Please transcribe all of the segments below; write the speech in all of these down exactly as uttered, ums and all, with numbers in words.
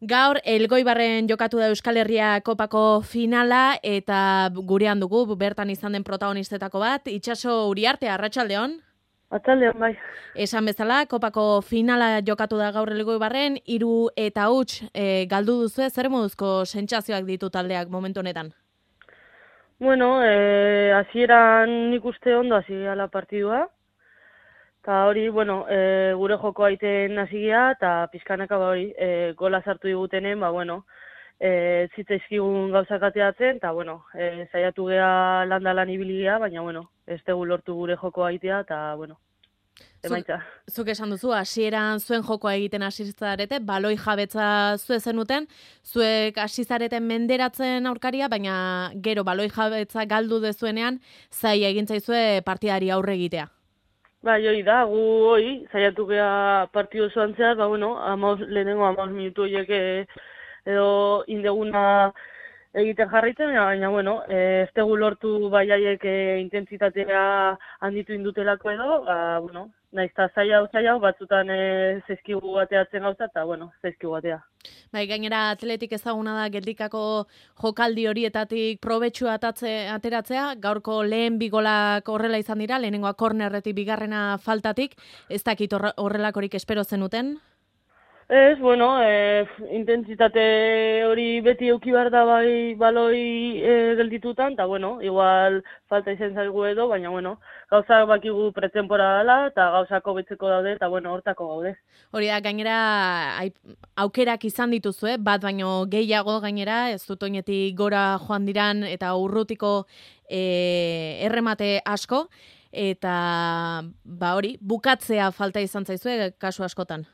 Gaur Elgoibarren jokatu da Euskal Herria Kopako finala eta gurean dugu bertan izan den protagonistetako bat, Itxaso Uriarte, arratsaldeon. Arratsaldeon bai. Esan bezala, Kopako finala jokatu da gaur Elgoibarren, hiru eta huts e, galdu duzu, zer moduzko sentsazioak ditu taldeak momentu honetan? Bueno, eh, hasieran nik uste ondo hasi gala partidua. Ta hori, bueno, e, gure joko aiten hasi gea eta pizkanaka ba hori, e, gola sartu digutenen, ba bueno, eh zitzaizkigun gauzak ateratzen ta bueno, e, saiatu gea landalan ibili gea, baina bueno, ez dugu lortu gure joko aitea eta bueno, emaitza. Zuk, zuk esan duzu, hasieran zuen jokoa egiten hasi zarete, baloi jabetza zue zenuten, zuek hasi zareten menderatzen aurkaria, baina gero baloi jabetza galdu dezuenean, zai egin zaizue partidari aurre egitea. Bai, hori da, gu hori, saiatu gea partidu osoan zehar, ba bueno, amaus, lehenengo amaus minutu horiek e, edo indeguna egiten jarraitzen, baina, bueno, ez dugu lortu baiaiek e, intentsitatea handitu indutelako edo, ba, bueno, nahiz eta zaila hau zaila hau, batzutan e, zaizkigu bateatzen gauza, eta, bueno, zaizkigu batea. Bai, gainera atletik ezaguna da geldikako jokaldi horietatik probetxua atatze, ateratzea, gaurko lehen bigolak horrela izan dira, lehenengoa kornerretik bigarrena faltatik, ez dakit horrelakorik espero zenuten? Ez, bueno, e, intentsitate hori beti euki behar da bai baloi e, gelditutan, eta bueno, igual falta izan zaigu edo, baina bueno, gauzak bakigu pretemporada dela, eta gauzak hobetzeko daude, eta bueno, hortako gaude. Hori da, gainera aukerak izan dituzue, bat baino gehiago gainera, ez dut oinetik gora joan diran, eta urrutiko e, erremate asko, eta ba hori, bukatzea falta izan zaizue kasu askotan.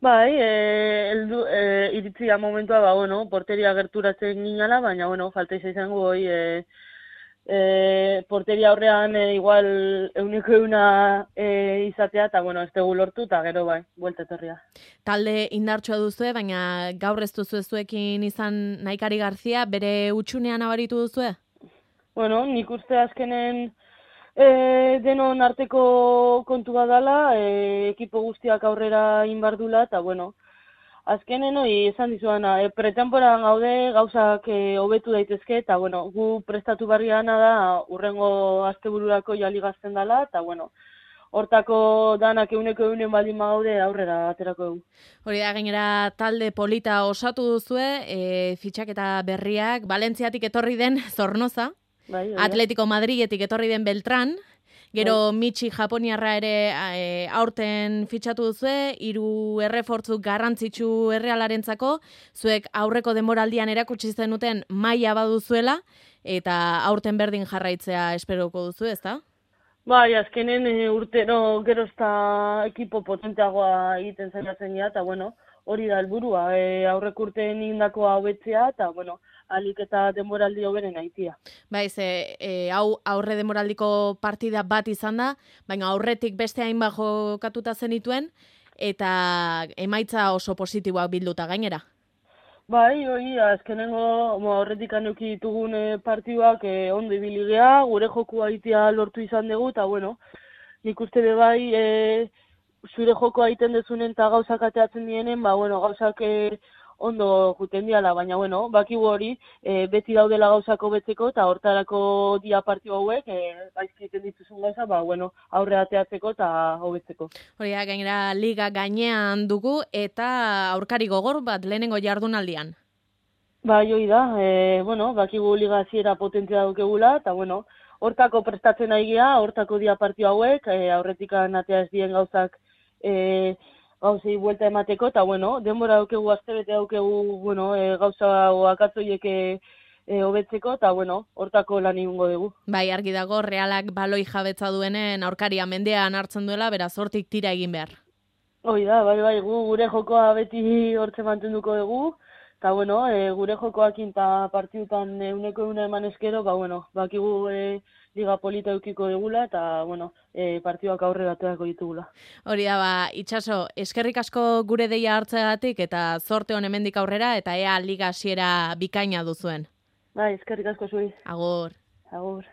Bai, e, eldu, e, iritzia momentua, ba, bueno, porteria gerturatzen ginala, baina, bueno, falta izango hoi, e, e, porteria horrean e, igual euneko euna e, izatea, eta, bueno, ez dugu lortu, eta gero, bai, buelta etorria. Talde indartsua duzue, baina gaur ez duzu zuekin izan Naikari Garzia, bere utxunean abaritu duzue? Bueno, nik uste azkenen E, denon arteko kontu badala, e, ekipo guztiak aurrera inbardula, eta bueno, azkenen hori esan dizuana, e, pretemporan gaude gauzak e, hobetu daitezke, eta bueno, gu prestatu barriana da urrengo astebururako jali gazten dela, eta bueno, hortako danak euneko eunen baldin gaude aurrera aterako dugu. Hori da, gainera talde polita osatu duzue, e, fitxaketa berriak, Valentziatik etorri den Zornoza, Bai, Atletico Madridetik etorri den Beltran, gero bai. Mitxi Japoniarra ere e, aurten fitxatu duzue, hiru errefortzu garrantzitsu Errealarentzako, zuek aurreko denboraldian erakutsi zenuten maila baduzuela, eta aurten berdin jarraitzea esperoko duzu, ezta? Bai, azkenen e, urtero gero ezta ekipo potenteagoa egiten zailatzen ja, eta bueno, hori da helburua, e, aurrek urteen indakoa hobetzea, eta bueno, alik eta denboraldi hoberen aitia. Bai, ze e, hau aurre denboraldiko partida bat izan da, baina aurretik beste hainbat jokatuta zenituen, eta emaitza oso positiboak bilduta gainera. Bai, hori, azkenengo horretik anuki ditugun e, partiduak e, ondo ibili gea, gure joku aitia lortu izan dugu, eta bueno, nik uste be bai, e, zure joko aiten dezunen eta gauzak ateatzen dienen, ba bueno, gauzak e, ondo juten diala, baina, bueno, bakigu hori, e, beti daudela gauzako betzeko, eta hortarako dia partio hauek, e, gaizki egiten dituzun gauza, ba, bueno, aurre ateatzeko eta hobetzeko. Hori da, gainera liga gainean dugu, eta aurkari gogor bat lehenengo jardunaldian. Bai, hori da, e, bueno, bakigu liga hasiera potentzia daukegula, eta, bueno, hortako prestatzen nahi gea, hortako dia partio hauek, e, aurretikan atea ez dien gauzak, e, gauzei buelta emateko, eta, bueno, denbora daukegu, astebete daukegu, bueno, e, gauza akatzoiek e, hobetzeko, eta, bueno, hortako lan egingo dugu. Bai, argi dago, Realak baloi jabetza duenen aurkaria mendean hartzen duela, beraz hortik tira egin behar. Hoi da, bai, bai, gu, gure jokoa beti hortze mantenduko dugu, eta, bueno, e, gure jokoakin eta partidutan euneko euna eman eskero, ba, bueno, bakigu e, liga polita eukiko dugula, eta, bueno, e, partiduak aurrera aterako ditugula. Hori da, ba, Itxaso, eskerrik asko gure deia hartzeagatik, eta zorte hon hemendik aurrera, eta ea liga hasiera bikaina duzuen. Bai, eskerrik asko zuri. Agur. Agur.